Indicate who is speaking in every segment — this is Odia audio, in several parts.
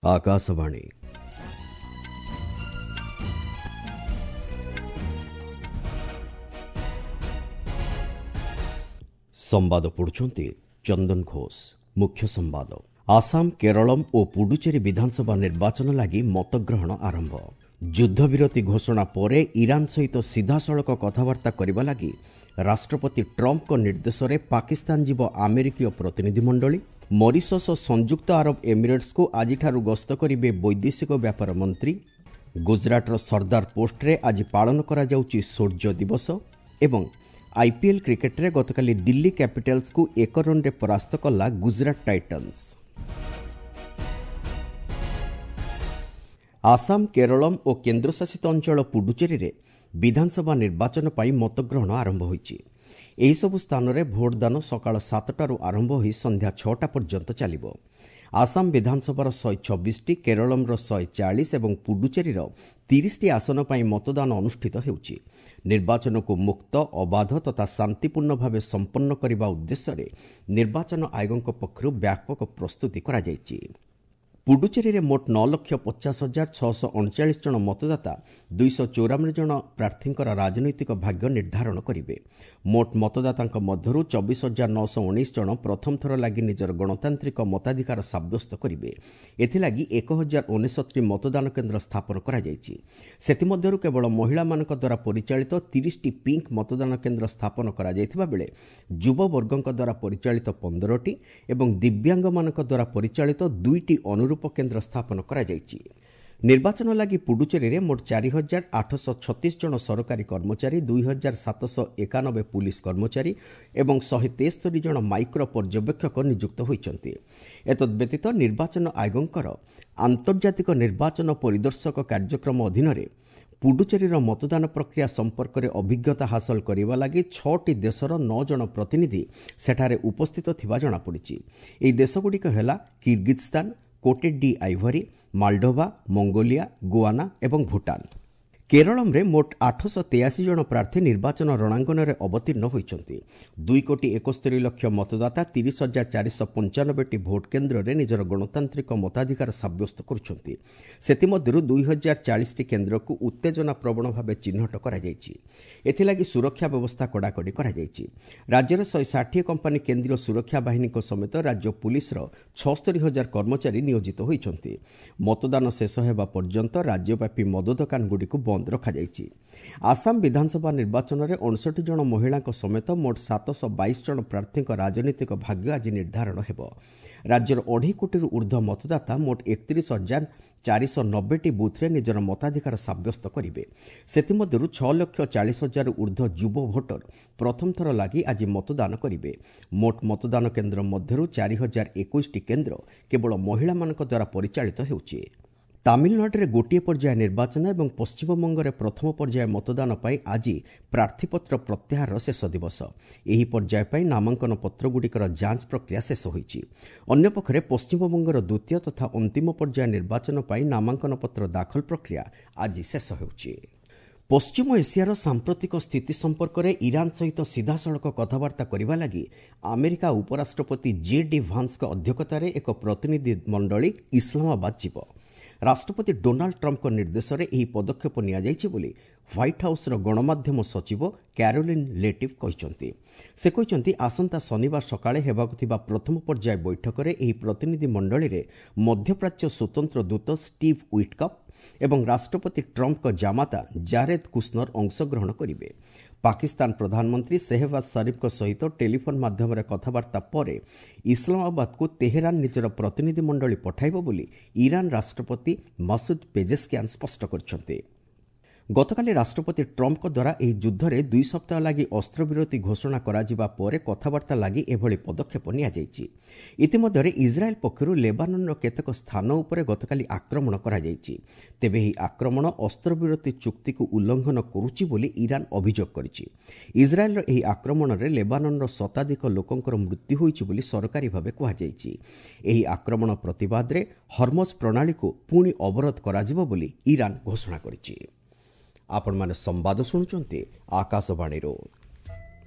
Speaker 1: ଆକାଶବାଣୀ। ସମ୍ବାଦ ପଢ଼ୁଛନ୍ତି ଚନ୍ଦନ ଘୋଷ। ମୁଖ୍ୟ ସମ୍ବାଦ। ଆସାମ, କେରଳମ୍ ଓ ପୁଡୁଚେରୀ ବିଧାନସଭା ନିର୍ବାଚନ ଲାଗି ମତଗ୍ରହଣ ଆରମ୍ଭ। ଯୁଦ୍ଧବିରତି ଘୋଷଣା ପରେ ଇରାନ ସହିତ ସିଧାସଳଖ କଥାବାର୍ତ୍ତା କରିବା ଲାଗି ରାଷ୍ଟ୍ରପତି ଟ୍ରମ୍ପଙ୍କ ନିର୍ଦ୍ଦେଶରେ ପାକିସ୍ତାନ ଯିବ ଆମେରିକୀୟ ପ୍ରତିନିଧିମଣ୍ଡଳୀ। ମରିସସ୍ ଓ ସଂଯୁକ୍ତ ଆରବ ଏମିରେଟ୍ସକୁ ଆଜିଠାରୁ ଗସ୍ତ କରିବେ ବୈଦେଶିକ ବ୍ୟାପାର ମନ୍ତ୍ରୀ। ଗୁଜରାଟର ସର୍ଦ୍ଦାର ପୋଷ୍ଟରେ ଆଜି ପାଳନ କରାଯାଉଛି ଶୌର୍ଯ୍ୟ ଦିବସ। ଏବଂ ଆଇପିଏଲ୍ କ୍ରିକେଟରେ ଗତକାଲି ଦିଲ୍ଲୀ କ୍ୟାପିଟାଲ୍ସକୁ 1 ରନ୍ରେ ପରାସ୍ତ କଲା ଗୁଜରାଟ ଟାଇଟନ୍ସ। ଆସାମ, କେରଳମ୍ ଓ କେନ୍ଦ୍ରଶାସିତ ଅଞ୍ଚଳ ପୁଡୁଚେରୀରେ ବିଧାନସଭା ନିର୍ବାଚନ ପାଇଁ ମତଗ୍ରହଣ ଆରମ୍ଭ ହୋଇଛି। ଏହିସବୁ ସ୍ଥାନରେ ଭୋଟଦାନ ସକାଳ 7ଟାରୁ ଆରମ୍ଭ ହୋଇ ସନ୍ଧ୍ୟା 6ଟା ପର୍ଯ୍ୟନ୍ତ ଚାଲିବ। ଆସାମ ବିଧାନସଭାର 126ଟି, କେରଳମ୍ର 140 ଏବଂ ପୁଡୁଚେରୀର 30ଟି ଆସନ ପାଇଁ ମତଦାନ ଅନୁଷ୍ଠିତ ହେଉଛି। ନିର୍ବାଚନକୁ ମୁକ୍ତ, ଅବାଧ ତଥା ଶାନ୍ତିପୂର୍ଣ୍ଣ ଭାବେ ସମ୍ପନ୍ନ କରିବା ଉଦ୍ଦେଶ୍ୟରେ ନିର୍ବାଚନ ଆୟୋଗଙ୍କ ପକ୍ଷରୁ ବ୍ୟାପକ ପ୍ରସ୍ତୁତି କରାଯାଇଛି। ପୁଡୁଚେରୀରେ ମୋଟ 9,50,639 ଜଣ ମତଦାତା 294 ଜଣ ପ୍ରାର୍ଥୀଙ୍କର ରାଜନୈତିକ ଭାଗ୍ୟ ନିର୍ଦ୍ଧାରଣ କରିବେ। ମୋଟ ମତଦାତାଙ୍କ ମଧ୍ୟରୁ 24,919 ଜଣ ପ୍ରଥମ ଥର ଲାଗି ନିଜର ଗଣତାନ୍ତ୍ରିକ ମତାଧିକାର ସାବ୍ୟସ୍ତ କରିବେ। ଏଥିଲାଗି 1069ଟି ମତଦାନ କେନ୍ଦ୍ର ସ୍ଥାପନ କରାଯାଇଛି। ସେଥିମଧ୍ୟରୁ କେବଳ ମହିଳାମାନଙ୍କ ଦ୍ୱାରା ପରିଚାଳିତ 30ଟି ପିଙ୍କ ମତଦାନ କେନ୍ଦ୍ର ସ୍ଥାପନ କରାଯାଇଥିବା ବେଳେ ଯୁବବର୍ଗଙ୍କ ଦ୍ୱାରା ପରିଚାଳିତ 15ଟି ଏବଂ ଦିବ୍ୟାଙ୍ଗମାନଙ୍କ ଦ୍ୱାରା ପରିଚାଳିତ 2ଟି ଅନୁରୂପ କେନ୍ଦ୍ର ସ୍ଥାପନ କରାଯାଇଛି। ନିର୍ବାଚନ ଲାଗି ପୁଡୁଚେରୀରେ ମୋଟ 4836 ଜଣ ସରକାରୀ କର୍ମଚାରୀ, 2791 ପୁଲିସ କର୍ମଚାରୀ ଏବଂ 173 ଜଣ ମାଇକ୍ରୋ ପର୍ଯ୍ୟବେକ୍ଷକ ନିଯୁକ୍ତ ହୋଇଛନ୍ତି। ଏତଦ୍ବ୍ୟତୀତ ନିର୍ବାଚନ ଆୟୋଗଙ୍କର ଆନ୍ତର୍ଜାତିକ ନିର୍ବାଚନ ପରିଦର୍ଶକ କାର୍ଯ୍ୟକ୍ରମ ଅଧୀନରେ ପୁଡୁଚେରୀର ମତଦାନ ପ୍ରକ୍ରିୟା ସମ୍ପର୍କରେ ଅଭିଜ୍ଞତା ହାସଲ କରିବା ଲାଗି 6ଟି ଦେଶର 9 ଜଣ ପ୍ରତିନିଧି ସେଠାରେ ଉପସ୍ଥିତ ଥିବା ଜଣାପଡ଼ିଛି। ଏହି ଦେଶଗୁଡ଼ିକ ହେଲା Kyrgyzstan, Cote d'Ivoire, Moldova, Mongolia, Guyana ଏବଂ ଭୁଟାନ। କେରଳମ୍ରେ ମୋଟ 883 ଜଣ ପ୍ରାର୍ଥୀ ନିର୍ବାଚନ ରଣାଙ୍ଗନରେ ଅବତୀର୍ଣ୍ଣ ହୋଇଛନ୍ତି। 2 କୋଟି 71 ଲକ୍ଷ ମତଦାତା 30,495ଟି ଭୋଟ କେନ୍ଦ୍ରରେ ନିଜର ଗଣତାନ୍ତ୍ରିକ ମତାଧିକାର ସାବ୍ୟସ୍ତ କରୁଛନ୍ତି। ସେଥିମଧ୍ୟରୁ 2040ଟି କେନ୍ଦ୍ରକୁ ଉତ୍ତେଜନା ପ୍ରବଣ ଭାବେ ଚିହ୍ନଟ କରାଯାଇଛି। ଏଥିଲାଗି ସୁରକ୍ଷା ବ୍ୟବସ୍ଥା କଡ଼ାକଡ଼ି କରାଯାଇଛି। ରାଜ୍ୟରେ 160 କମ୍ପାନୀ କେନ୍ଦ୍ରୀୟ ସୁରକ୍ଷା ବାହିନୀଙ୍କ ସମେତ ରାଜ୍ୟ ପୁଲିସର 76,000 କର୍ମଚାରୀ ନିୟୋଜିତ ହୋଇଛନ୍ତି। ମତଦାନ ଶେଷ ହେବା ପର୍ଯ୍ୟନ୍ତ ରାଜ୍ୟବ୍ୟାପୀ ମଦ ଦୋକାନଗୁଡ଼ିକୁ ବନ୍ଦ ରଖାଯାଇଛି। ଆସାମ ବିଧାନସଭା ନିର୍ବାଚନରେ 59 ଜଣ ମହିଳାଙ୍କ ସମେତ ମୋଟ 722 ଜଣ ପ୍ରାର୍ଥୀଙ୍କ ରାଜନୈତିକ ଭାଗ୍ୟ ଆଜି ନିର୍ଦ୍ଧାରଣ ହେବ। ରାଜ୍ୟର ଅଢ଼େଇ କୋଟିରୁ ଉର୍ଦ୍ଧ୍ୱ ମତଦାତା ମୋଟ 31,490ଟି ବୁଥ୍ରେ ନିଜର ମତାଧିକାର ସାବ୍ୟସ୍ତ କରିବେ। ସେଥିମଧ୍ୟରୁ 6 ଲକ୍ଷ 40 ହଜାରରୁ ଉର୍ଦ୍ଧ୍ୱ ଯୁବ ଭୋଟର ପ୍ରଥମ ଥର ଲାଗି ଆଜି ମତଦାନ କରିବେ। ମୋଟ ମତଦାନ କେନ୍ଦ୍ର ମଧ୍ୟରୁ 4021ଟି କେନ୍ଦ୍ର କେବଳ ମହିଳାମାନଙ୍କ ଦ୍ୱାରା ପରିଚାଳିତ ହେଉଛି। ତାମିଲନାଡୁରେ ଗୋଟିଏ ପର୍ଯ୍ୟାୟ ନିର୍ବାଚନ ଏବଂ ପଶ୍ଚିମବଙ୍ଗରେ ପ୍ରଥମ ପର୍ଯ୍ୟାୟ ମତଦାନ ପାଇଁ ଆଜି ପ୍ରାର୍ଥୀପତ୍ର ପ୍ରତ୍ୟାହାରର ଶେଷ ଦିବସ। ଏହି ପର୍ଯ୍ୟାୟ ପାଇଁ ନାମାଙ୍କନ ପତ୍ରଗୁଡ଼ିକର ଯାଞ୍ଚ ପ୍ରକ୍ରିୟା ଶେଷ ହୋଇଛି। ଅନ୍ୟପକ୍ଷରେ ପଶ୍ଚିମବଙ୍ଗର ଦ୍ୱିତୀୟ ତଥା ଅନ୍ତିମ ପର୍ଯ୍ୟାୟ ନିର୍ବାଚନ ପାଇଁ ନାମାଙ୍କନ ପତ୍ର ଦାଖଲ ପ୍ରକ୍ରିୟା ଆଜି ଶେଷ ହେଉଛି। ପଶ୍ଚିମ ଏସିଆର ସାମ୍ପ୍ରତିକ ସ୍ଥିତି ସମ୍ପର୍କରେ ଇରାନ ସହିତ ସିଧାସଳଖ କଥାବାର୍ତ୍ତା କରିବା ଲାଗି ଆମେରିକା ଉପରାଷ୍ଟ୍ରପତି ଜେ ଡି ଭାନ୍ସଙ୍କ ଅଧ୍ୟକ୍ଷତାରେ ଏକ ପ୍ରତିନିଧି ମଣ୍ଡଳୀ ଇସଲାମାବାଦ ଯିବ। ରାଷ୍ଟ୍ରପତି ଡୋନାଲ୍ଡ ଟ୍ରମ୍ପଙ୍କ ନିର୍ଦ୍ଦେଶରେ ଏହି ପଦକ୍ଷେପ ନିଆଯାଇଛି ବୋଲି ହ୍ୱାଇଟ୍ ହାଉସ୍ର ଗଣମାଧ୍ୟମ ସଚିବ କ୍ୟାରୋଲିନ୍ ଲେଭିଟ୍ କହିଛନ୍ତି। ସେ କହିଛନ୍ତି, ଆସନ୍ତା ଶନିବାର ସକାଳେ ହେବାକୁ ଥିବା ପ୍ରଥମ ପର୍ଯ୍ୟାୟ ବୈଠକରେ ଏହି ପ୍ରତିନିଧି ମଣ୍ଡଳୀରେ ମଧ୍ୟପ୍ରାଚ୍ୟ ସ୍ୱତନ୍ତ୍ର ଦୂତ ଷ୍ଟିଭ୍ ୱିଟ୍କଫ୍ ଏବଂ ରାଷ୍ଟ୍ରପତି ଟ୍ରମ୍ପଙ୍କ ଜାମାତା ଜାରେଦ୍ କୁଶ୍ନର ଅଂଶଗ୍ରହଣ କରିବେ। ପାକିସ୍ତାନ ପ୍ରଧାନମନ୍ତ୍ରୀ ସେହବାଜ ସରିଫଙ୍କ ସହିତ ଟେଲିଫୋନ୍ ମାଧ୍ୟମରେ କଥାବାର୍ତ୍ତା ପରେ ଇସଲାମାବାଦକୁ ତେହେରାନ ନିଜର ପ୍ରତିନିଧି ମଣ୍ଡଳୀ ପଠାଇବ ବୋଲି ଇରାନ ରାଷ୍ଟ୍ରପତି ମାସୁଦ ପେଜେସ୍କିଆନ୍ ସ୍ପଷ୍ଟ କରିଛନ୍ତି। ଗତକାଲି ରାଷ୍ଟ୍ରପତି ଟ୍ରମ୍ପଙ୍କ ଦ୍ୱାରା ଏହି ଯୁଦ୍ଧରେ 2 ସପ୍ତାହ ଲାଗି ଅସ୍ତ୍ରବିରତି ଘୋଷଣା କରାଯିବା ପରେ କଥାବାର୍ତ୍ତା ଲାଗି ଏଭଳି ପଦକ୍ଷେପ ନିଆଯାଇଛି। ଇତିମଧ୍ୟରେ ଇସ୍ରାଏଲ୍ ପକ୍ଷରୁ ଲେବାନନ୍ର କେତେକ ସ୍ଥାନ ଉପରେ ଗତକାଲି ଆକ୍ରମଣ କରାଯାଇଛି। ତେବେ ଏହି ଆକ୍ରମଣ ଅସ୍ତ୍ରବିରତି ଚୁକ୍ତିକୁ ଉଲ୍ଲଂଘନ କରୁଛି ବୋଲି ଇରାନ ଅଭିଯୋଗ କରିଛି। ଇସ୍ରାଏଲ୍ର ଏହି ଆକ୍ରମଣରେ ଲେବାନନ୍ର ଶତାଧିକ ଲୋକଙ୍କର ମୃତ୍ୟୁ ହୋଇଛି ବୋଲି ସରକାରୀ ଭାବେ କୁହାଯାଇଛି। ଏହି ଆକ୍ରମଣ ପ୍ରତିବାଦରେ ହର୍ମଜ ପ୍ରଣାଳୀକୁ ପୁଣି ଅବରୋଧ କରାଯିବ ବୋଲି ଇରାନ ଘୋଷଣା କରିଛି। ଆପଣମାନେ ସମ୍ବାଦ ଶୁଣୁଛନ୍ତି ଆକାଶବାଣୀରୁ।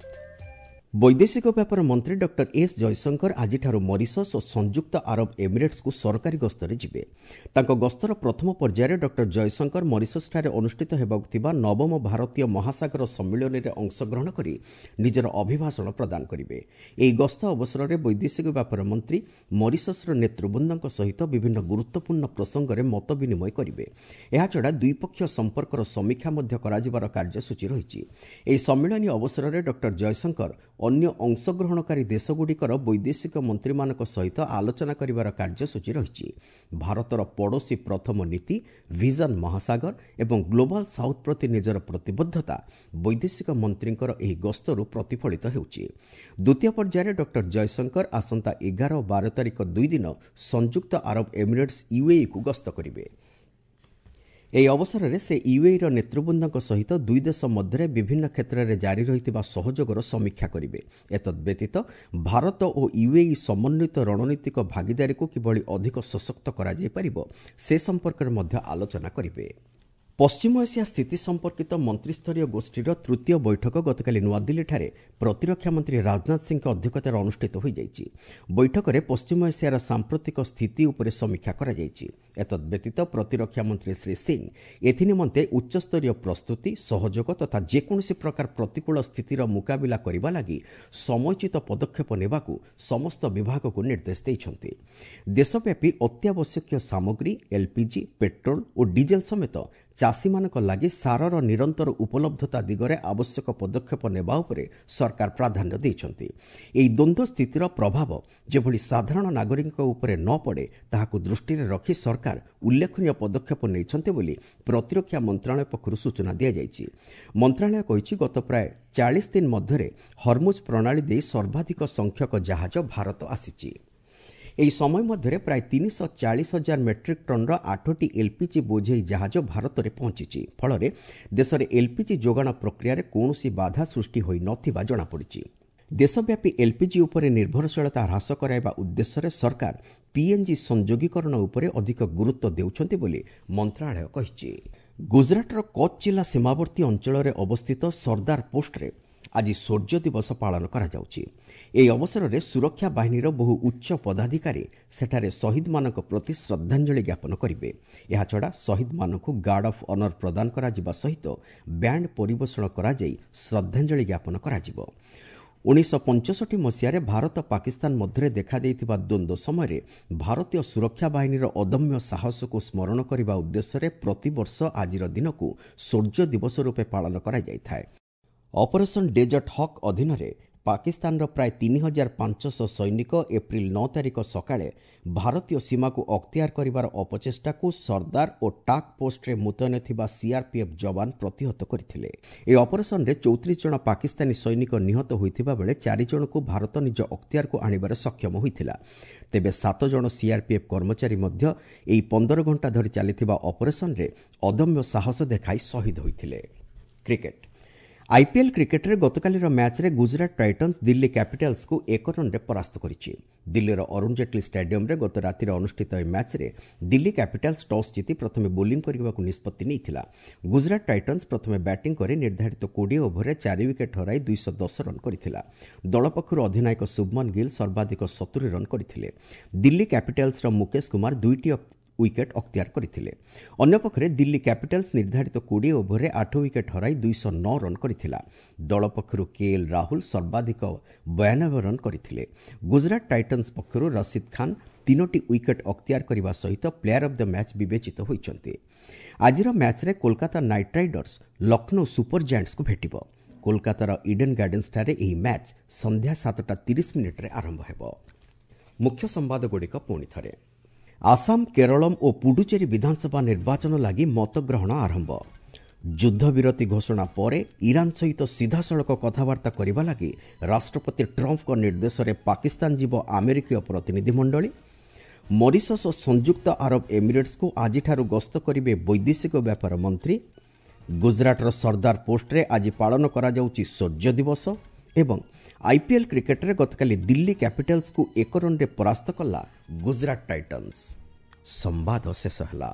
Speaker 1: ବୈଦେଶିକ ବ୍ୟାପାର ମନ୍ତ୍ରୀ ଡକ୍ଟର ଏସ୍ ଜୟଶଙ୍କର ଆଜିଠାରୁ ମରିସସ୍ ଓ ସଂଯୁକ୍ତ ଆରବ ଏମିରେଟ୍ସକୁ ସରକାରୀ ଗସ୍ତରେ ଯିବେ। ତାଙ୍କ ଗସ୍ତର ପ୍ରଥମ ପର୍ଯ୍ୟାୟରେ ଡକ୍ଟର ଜୟଶଙ୍କର ମରିସସ୍ଠାରେ ଅନୁଷ୍ଠିତ ହେବାକୁ ଥିବା ନବମ ଭାରତୀୟ ମହାସାଗର ସମ୍ମିଳନୀରେ ଅଂଶଗ୍ରହଣ କରି ନିଜର ଅଭିଭାଷଣ ପ୍ରଦାନ କରିବେ। ଏହି ଗସ୍ତ ଅବସରରେ ବୈଦେଶିକ ବ୍ୟାପାର ମନ୍ତ୍ରୀ ମରିସସ୍ର ନେତୃବୃନ୍ଦଙ୍କ ସହିତ ବିଭିନ୍ନ ଗୁରୁତ୍ୱପୂର୍ଣ୍ଣ ପ୍ରସଙ୍ଗରେ ମତ ବିନିମୟ କରିବେ। ଏହାଛଡ଼ା ଦ୍ୱିପକ୍ଷୀୟ ସମ୍ପର୍କର ସମୀକ୍ଷା ମଧ୍ୟ କରାଯିବାର କାର୍ଯ୍ୟସୂଚୀ ରହିଛି। ଏହି ସମ୍ମିଳନୀ ଅବସରରେ ଡକ୍ଟର ଜୟଶଙ୍କର ଅନ୍ୟ ଅଂଶଗ୍ରହଣକାରୀ ଦେଶଗୁଡ଼ିକର ବୈଦେଶିକ ମନ୍ତ୍ରୀମାନଙ୍କ ସହିତ ଆଲୋଚନା କରିବାର କାର୍ଯ୍ୟସୂଚୀ ରହିଛି। ଭାରତର ପଡ଼ୋଶୀ ପ୍ରଥମ ନୀତି, ଭିଜନ ମହାସାଗର ଏବଂ ଗ୍ଲୋବାଲ୍ ସାଉଥ୍ ପ୍ରତି ନିଜର ପ୍ରତିବଦ୍ଧତା ବୈଦେଶିକ ମନ୍ତ୍ରୀଙ୍କର ଏହି ଗସ୍ତରୁ ପ୍ରତିଫଳିତ ହେଉଛି। ଦ୍ୱିତୀୟ ପର୍ଯ୍ୟାୟରେ ଡକ୍ଟର ଜୟଶଙ୍କର ଆସନ୍ତା 11 ଓ 12 ତାରିଖ ଦୁଇଦିନ ସଂଯୁକ୍ତ ଆରବ ଏମିରେଟ୍ସ ୟୁଏଇକୁ ଗସ୍ତ କରିବେ। ଏହି ଅବସରରେ ସେ ୟୁଏଇର ନେତୃବୃନ୍ଦଙ୍କ ସହିତ ଦୁଇ ଦେଶ ମଧ୍ୟରେ ବିଭିନ୍ନ କ୍ଷେତ୍ରରେ ଜାରି ରହିଥିବା ସହଯୋଗର ସମୀକ୍ଷା କରିବେ। ଏତଦ୍ବ୍ୟତୀତ ଭାରତ ଓ ୟୁଏଇ ସମନ୍ୱିତ ରଣନୀତିକ ଭାଗିଦାରୀକୁ କିଭଳି ଅଧିକ ସଶକ୍ତ କରାଯାଇପାରିବ ସେ ସମ୍ପର୍କରେ ମଧ୍ୟ ଆଲୋଚନା କରିବେ। ପଶ୍ଚିମ ଏସିଆ ସ୍ଥିତି ସମ୍ପର୍କିତ ମନ୍ତ୍ରିସ୍ତରୀୟ ଗୋଷ୍ଠୀର ତୃତୀୟ ବୈଠକ ଗତକାଲି ନୂଆଦିଲ୍ଲୀଠାରେ ପ୍ରତିରକ୍ଷା ମନ୍ତ୍ରୀ ରାଜନାଥ ସିଂଙ୍କ ଅଧ୍ୟକ୍ଷତାରେ ଅନୁଷ୍ଠିତ ହୋଇଯାଇଛି। ବୈଠକରେ ପଶ୍ଚିମ ଏସିଆର ସାମ୍ପ୍ରତିକ ସ୍ଥିତି ଉପରେ ସମୀକ୍ଷା କରାଯାଇଛି। ଏତଦ୍ବ୍ୟତୀତ ପ୍ରତିରକ୍ଷା ମନ୍ତ୍ରୀ ଶ୍ରୀ ସିଂ ଏଥିନିମନ୍ତେ ଉଚ୍ଚସ୍ତରୀୟ ପ୍ରସ୍ତୁତି, ସହଯୋଗ ତଥା ଯେକୌଣସି ପ୍ରକାର ପ୍ରତିକୂଳ ସ୍ଥିତିର ମୁକାବିଲା କରିବା ଲାଗି ସମୟୋଚିତ ପଦକ୍ଷେପ ନେବାକୁ ସମସ୍ତ ବିଭାଗକୁ ନିର୍ଦ୍ଦେଶ ଦେଇଛନ୍ତି। ଦେଶବ୍ୟାପୀ ଅତ୍ୟାବଶ୍ୟକୀୟ ସାମଗ୍ରୀ, ଏଲ୍ପିଜି, ପେଟ୍ରୋଲ ଓ ଡିଜେଲ ସମେତ ଚାଷୀମାନଙ୍କ ଲାଗି ସାରର ନିରନ୍ତର ଉପଲବ୍ଧତା ଦିଗରେ ଆବଶ୍ୟକ ପଦକ୍ଷେପ ନେବା ଉପରେ ସରକାର ପ୍ରାଧାନ୍ୟ ଦେଇଛନ୍ତି। ଏହି ଦ୍ୱନ୍ଦ୍ୱ ସ୍ଥିତିର ପ୍ରଭାବ ଯେଭଳି ସାଧାରଣ ନାଗରିକଙ୍କ ଉପରେ ନ ପଡ଼େ ତାହାକୁ ଦୃଷ୍ଟିରେ ରଖି ସରକାର ଉଲ୍ଲେଖନୀୟ ପଦକ୍ଷେପ ନେଇଛନ୍ତି ବୋଲି ପ୍ରତିରକ୍ଷା ମନ୍ତ୍ରଣାଳୟ ପକ୍ଷରୁ ସୂଚନା ଦିଆଯାଇଛି। ମନ୍ତ୍ରଣାଳୟ କହିଛି, ଗତ ପ୍ରାୟ 40 ଦିନ ମଧ୍ୟରେ ହର୍ମୁଜ ପ୍ରଣାଳୀ ଦେଇ ସର୍ବାଧିକ ସଂଖ୍ୟକ ଜାହାଜ ଭାରତ ଆସିଛି। ଏହି ସମୟ ମଧ୍ୟରେ ପ୍ରାୟ 340,000 ମେଟ୍ରିକ୍ ଟନ୍ର 8ଟି ଏଲ୍ପିଜି ବୋଝେଇ ଜାହାଜ ଭାରତରେ ପହଞ୍ଚିଛି। ଫଳରେ ଦେଶରେ ଏଲ୍ପିଜି ଯୋଗାଣ ପ୍ରକ୍ରିୟାରେ କୌଣସି ବାଧା ସୃଷ୍ଟି ହୋଇନଥିବା ଜଣାପଡ଼ିଛି। ଦେଶବ୍ୟାପୀ ଏଲ୍ପିଜି ଉପରେ ନିର୍ଭରଶୀଳତା ହ୍ରାସ କରାଇବା ଉଦ୍ଦେଶ୍ୟରେ ସରକାର ପିଏନ୍ଜି ସଂଯୋଗୀକରଣ ଉପରେ ଅଧିକ ଗୁରୁତ୍ୱ ଦେଉଛନ୍ତି ବୋଲି ମନ୍ତ୍ରଣାଳୟ କହିଛି। ଗୁଜରାଟର କଚ୍ଛ ଜିଲ୍ଲା ସୀମାବର୍ତ୍ତୀ ଅଞ୍ଚଳରେ ଅବସ୍ଥିତ ସର୍ଦ୍ଦାର ପୋଷ୍ଟରେ ଆଜି ଶୌର୍ଯ୍ୟ ଦିବସ ପାଳନ କରାଯାଉଛି। ଏହି ଅବସରରେ ସୁରକ୍ଷା ବାହିନୀର ବହୁ ଉଚ୍ଚ ପଦାଧିକାରୀ ସେଠାରେ ଶହୀଦମାନଙ୍କ ପ୍ରତି ଶ୍ରଦ୍ଧାଞ୍ଜଳି ଜ୍ଞାପନ କରିବେ। ଏହାଛଡ଼ା ଶହୀଦମାନଙ୍କୁ ଗାର୍ଡ ଅଫ୍ ଅନର ପ୍ରଦାନ କରାଯିବା ସହିତ ବ୍ୟାଣ୍ଡ ପରିବେଷଣ କରାଯାଇ ଶ୍ରଦ୍ଧାଞ୍ଜଳି ଜ୍ଞାପନ କରାଯିବ। 1965 ମସିହାରେ ଭାରତ ପାକିସ୍ତାନ ମଧ୍ୟରେ ଦେଖାଦେଇଥିବା ଦ୍ୱନ୍ଦ୍ୱ ସମୟରେ ଭାରତୀୟ ସୁରକ୍ଷା ବାହିନୀର ଅଦମ୍ୟ ସାହସକୁ ସ୍ମରଣ କରିବା ଉଦ୍ଦେଶ୍ୟରେ ପ୍ରତିବର୍ଷ ଆଜିର ଦିନକୁ ଶୌର୍ଯ୍ୟ ଦିବସ ରୂପେ ପାଳନ କରାଯାଇଥାଏ। ଅପରେସନ୍ ଡେଜର୍ଟ ହକ୍ ଅଧୀନରେ ପାକିସ୍ତାନର ପ୍ରାୟ 3500 ସୈନିକ ଏପ୍ରିଲ 9 ତାରିଖ ସକାଳେ ଭାରତୀୟ ସୀମାକୁ ଅକ୍ତିଆର କରିବାର ଅପଚେଷ୍ଟାକୁ ସର୍ଦ୍ଦାର ଓ ଟାକ୍ ପୋଷ୍ଟରେ ମୁତୟନ ଥିବା ସିଆର୍ପିଏଫ୍ ଯବାନ ପ୍ରତିହତ କରିଥିଲେ। ଏହି ଅପରେସନରେ 34 ଜଣ ପାକିସ୍ତାନୀ ସୈନିକ ନିହତ ହୋଇଥିବା ବେଳେ 4 ଜଣଙ୍କୁ ଭାରତ ନିଜ ଅକ୍ତିଆରକୁ ଆଣିବାରେ ସକ୍ଷମ ହୋଇଥିଲା। ତେବେ 7 ଜଣ ସିଆର୍ପିଏଫ୍ କର୍ମଚାରୀ ମଧ୍ୟ ଏହି 15 ଘଣ୍ଟା ଧରି ଚାଲିଥିବା ଅପରେସନରେ ଅଦମ୍ୟ ସାହସ ଦେଖାଇ ଶହୀଦ ହୋଇଥିଲେ। କ୍ରିକେଟ ଆଇପିଏଲ୍ କ୍ରିକେଟରେ ଗତକାଲିର ମ୍ୟାଚ୍ରେ ଗୁଜରାଟ ଟାଇଟନ୍ସ ଦିଲ୍ଲୀ କ୍ୟାପିଟାଲ୍ସକୁ 1 ରନ୍ରେ ପରାସ୍ତ କରିଛି। ଦିଲ୍ଲୀର ଅରୁଣ ଜେଟଲୀ ଷ୍ଟାଡିୟମରେ ଗତ ରାତିରେ ଅନୁଷ୍ଠିତ ଏହି ମ୍ୟାଚ୍ରେ ଦିଲ୍ଲୀ କ୍ୟାପିଟାଲ୍ସ ଟସ୍ ଜିତି ପ୍ରଥମେ ବୋଲିଂ କରିବାକୁ ନିଷ୍ପତ୍ତି ନେଇଥିଲା। ଗୁଜରାଟ ଟାଇଟନ୍ସ ପ୍ରଥମେ ବ୍ୟାଟିଂ କରି ନିର୍ଦ୍ଧାରିତ 20 ଓଭରରେ 4 ୱିକେଟ୍ ହରାଇ 210 ରନ୍ କରିଥିଲା। ଦଳ ପକ୍ଷରୁ ଅଧିନାୟକ ଶୁଭମନ ଗିଲ୍ ସର୍ବାଧିକ 70 ରନ୍ କରିଥିଲେ। ଦିଲ୍ଲୀ କ୍ୟାପିଟାଲ୍ସର ମୁକେଶ କୁମାର 2ଟି ୱିକେଟ୍ ଅକ୍ତିଆର କରିଥିଲେ। ଅନ୍ୟପକ୍ଷରେ ଦିଲ୍ଲୀ କ୍ୟାପିଟାଲ୍ସ ନିର୍ଦ୍ଧାରିତ 20 ଓଭରରେ 8 ୱିକେଟ୍ ହରାଇ 209 ରନ୍ କରିଥିଲା। ଦଳ ପକ୍ଷରୁ କେଏଲ୍ ରାହୁଲ ସର୍ବାଧିକ 92 ରନ୍ କରିଥିଲେ। ଗୁଜରାଟ ଟାଇଟନ୍ସ ପକ୍ଷରୁ ରସିଦ ଖାନ୍ 3ଟି ୱିକେଟ୍ ଅକ୍ତିଆର କରିବା ସହିତ ପ୍ଲେୟାର ଅଫ୍ the match ବିବେଚିତ ହୋଇଛନ୍ତି। ଆଜିର ମ୍ୟାଚ୍ରେ Kolkata Knight Riders Lucknow Super ଜାଏଣ୍ଟସ୍କୁ ଭେଟିବ। କୋଲକାତାର ଇଡେନ୍ ଗାର୍ଡେନ୍ସଠାରେ ଏହି ମ୍ୟାଚ୍ ସନ୍ଧ୍ୟା 7:30 ଆରମ୍ଭ ହେବ। ମୁଖ୍ୟ ସମ୍ବାଦଗୁଡ଼ିକ ପୁଣି ଥରେ। ଆସାମ, କେରଳମ୍ ଓ ପୁଡୁଚେରୀ ବିଧାନସଭା ନିର୍ବାଚନ ଲାଗି ମତଗ୍ରହଣ ଆରମ୍ଭ। ଯୁଦ୍ଧବିରତି ଘୋଷଣା ପରେ ଇରାନ ସହିତ ସିଧାସଳଖ କଥାବାର୍ତ୍ତା କରିବା ଲାଗି ରାଷ୍ଟ୍ରପତି ଟ୍ରମ୍ପଙ୍କ ନିର୍ଦ୍ଦେଶରେ ପାକିସ୍ତାନ ଯିବ ଆମେରିକୀୟ ପ୍ରତିନିଧିମଣ୍ଡଳୀ। ମରିସସ୍ ଓ ସଂଯୁକ୍ତ ଆରବ ଏମିରେଟ୍ସକୁ ଆଜିଠାରୁ ଗସ୍ତ କରିବେ ବୈଦେଶିକ ବ୍ୟାପାର ମନ୍ତ୍ରୀ। ଗୁଜରାଟର ସର୍ଦ୍ଦାର ପୋଷ୍ଟରେ ଆଜି ପାଳନ କରାଯାଉଛି ଶୌର୍ଯ୍ୟ ଦିବସ। ଏବଂ ଆଇପିଏଲ୍ କ୍ରିକେଟରେ ଗତକାଲି ଦିଲ୍ଲୀ କ୍ୟାପିଟାଲ୍ସକୁ 1 ରନ୍ରେ ପରାସ୍ତ କଲା ଗୁଜରାଟ ଟାଇଟନ୍ସ। ସମ୍ବାଦ ଶେଷ ହେଲା।